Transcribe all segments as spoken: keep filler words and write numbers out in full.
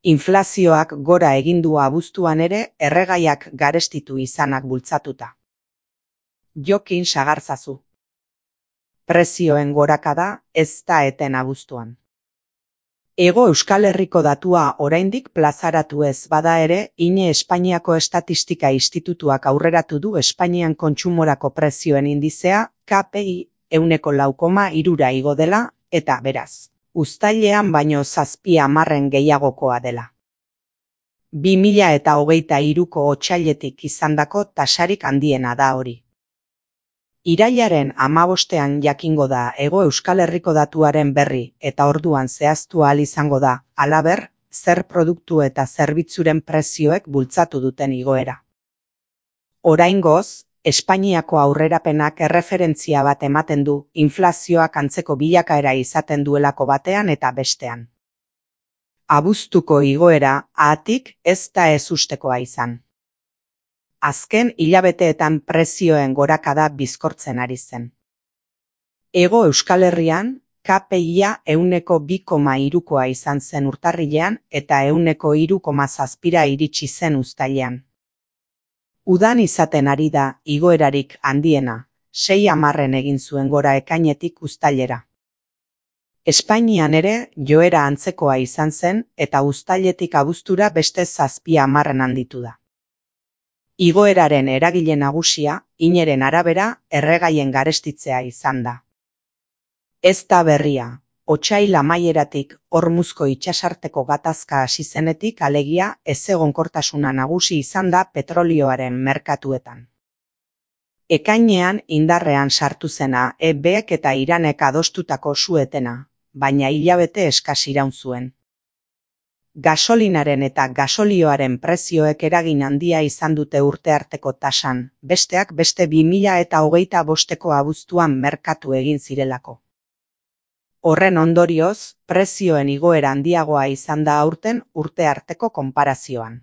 Inflazioak gora egin du abuztuan ere erregaiak garestitu izanak bultzatuta. Jokin sagartzazu. Prezioen gorakada ez da eten abuztuan. Hego Euskal Herriko datua oraindik plazaratu ez bada ere, ine Espainiako Estatistika Institutuak aurreratu du Espainian kontsumorako prezioen indizea K P I ehuneko lau koma hirura igo dela, eta beraz, uztailean baino zazpi hamarren gehiagokoa dela. Bi mila eta hogeita hiruko otsailetik izandako tasarik handiena da hori. Irailaren hamabostean jakingo da Hego Euskal Herriko datuaren berri eta orduan zehaztu ahal izango da, halaber, zer produktu eta zerbitzuren prezioek bultzatu duten igoera. Oraingoz, Espainiako aurrerapenak erreferentzia bat ematen du inflazioak antzeko bilakaera izaten duelako batean eta bestean. Abuztuko igoera haatik ez da ezustekoa izan. Azken hilabeteetan prezioen gorakada bizkortzen ari zen. Hego Euskal Herrian, K P I-a ehuneko bi koma hirukoa izan zen urtarrilean eta ehuneko hiru koma zazpira iritsi zen uztailean. Udan izaten ari da igoerarik handiena, sei hamarren egin zuen gora ekainetik uztailera. Espainian ere joera antzekoa izan zen eta uztailetik abuztura beste zazpi hamarren handitu da. Igoeraren eragile nagusia, ineren arabera, erregaien garestitzea izan da. Ez da berria, otsail amaieratik Hormuzko itsasarteko gatazka hasi zenetik alegia ezegonkortasuna nagusi izan da petrolioaren merkatuetan. Ekainean indarrean sartu zena E Bek eta Iranek adostutako su-etena, baina hilabete eskas iraun zuen. Gasolinaren eta gasolioaren prezioek eragin handia izan dute urtearteko tasan, besteak beste bi mila eta hogeita bosteko abuztuan merkatu egin zirelako. Horren ondorioz, prezioen igoera handiagoa izan da aurten urtearteko konparazioan.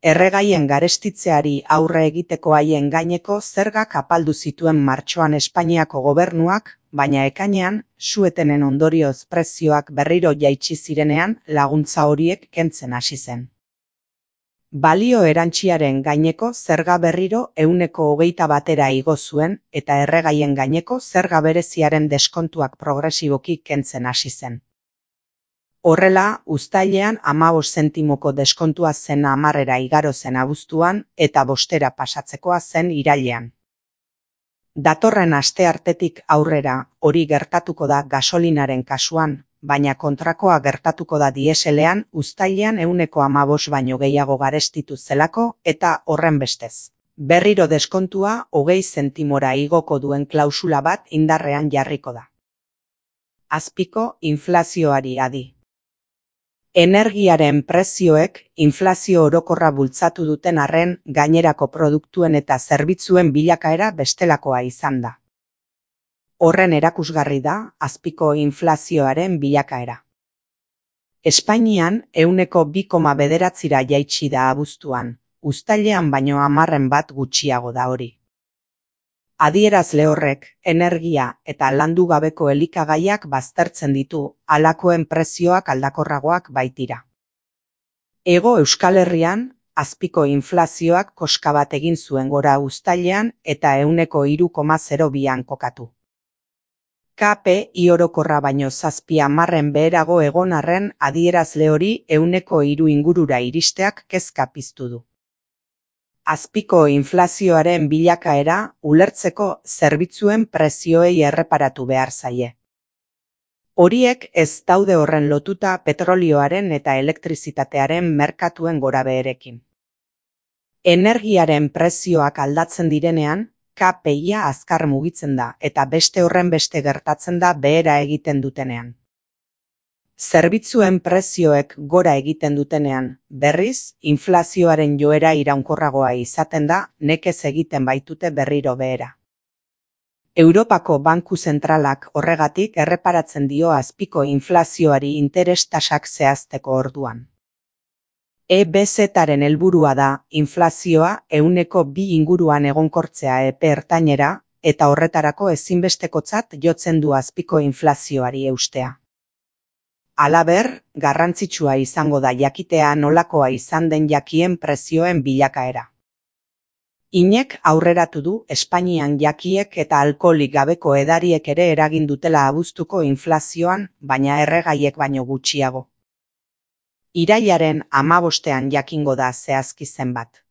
Erregaien garestitzeari aurre egiteko haien gaineko zergak apaldu zituen martxoan Espainiako gobernuak, baina ekainean, su-etenen ondorioz prezioak berriro jaitsi zirenean laguntza horiek kentzen hasi zen. Balio erantsiaren gaineko zerga berriro ehuneko hogeita batera igo zuen eta erregaien gaineko zerga bereziaren deskontuak progresiboki kentzen hasi zen. Horrela, uztailean hamabost zentimoko deskontua zen hamarrera igaro zen abuztuan eta bostera pasatzekoa zen irailean. Datorren asteartetik aurrera hori gertatuko da gasolinaren kasuan, baina kontrakoa gertatuko da dieselean uztailean ehuneko hamabost baino gehiago garestitu zelako eta horren bestez. Berriro deskontua hogei zentimora igoko duen klausula bat indarrean jarriko da. Azpiko inflazioari adi. Energiaren prezioek inflazio orokorra bultzatu duten arren gainerako produktuen eta zerbitzuen bilakaera bestelakoa izan da. Horren erakusgarri da azpiko inflazioaren bilakaera. Espainian ehuneko bi koma bederatzira jaitsi da abuztuan, uztailean baino hamarren bat gutxiago da hori. Adierazle horrek, energia eta landu gabeko elikagaiak baztertzen ditu, halakoen prezioak aldakorragoak baitira. Hego Euskal Herrian, azpiko inflazioak koska bat egin zuen gora uztailean eta ehuneko hiru koma zero bian kokatu. K P I orokorra baino zazpi hamarren beherago egon arren adierazle hori ehuneko hiru ingurura iristeak kezka piztu du. Azpiko inflazioaren bilakaera ulertzeko zerbitzuen prezioei erreparatu behar zaie. Horiek ez daude horren lotuta petrolioaren eta elektrizitatearen merkatuen gorabeherekin. Energiaren prezioak aldatzen direnean, K P I-a azkar mugitzen da eta beste horren beste gertatzen da behera egiten dutenean. Zerbitzuen prezioek gora egiten dutenean, berriz, inflazioaren joera iraunkorragoa izaten da nekez egiten baitute berriro behera. Europako Banku Zentralak horregatik erreparatzen dio azpiko inflazioari interes tasak zehazteko orduan. E B Z-aren helburua da inflazioa ehuneko bi inguruan egonkortzea epe ertainera eta horretarako ezinbestekotzat jotzen du azpiko inflazioari eustea. Halaber, garrantzitsua izango da jakitea nolakoa izan den jakien prezioen bilakaera. Inek aurreratu du Espainian jakiek eta alkoholik gabeko edariek ere eragin dutela abuztuko inflazioan, baina erregaiek baino gutxiago. Irailaren hamabostean jakingo da zehazki zenbat.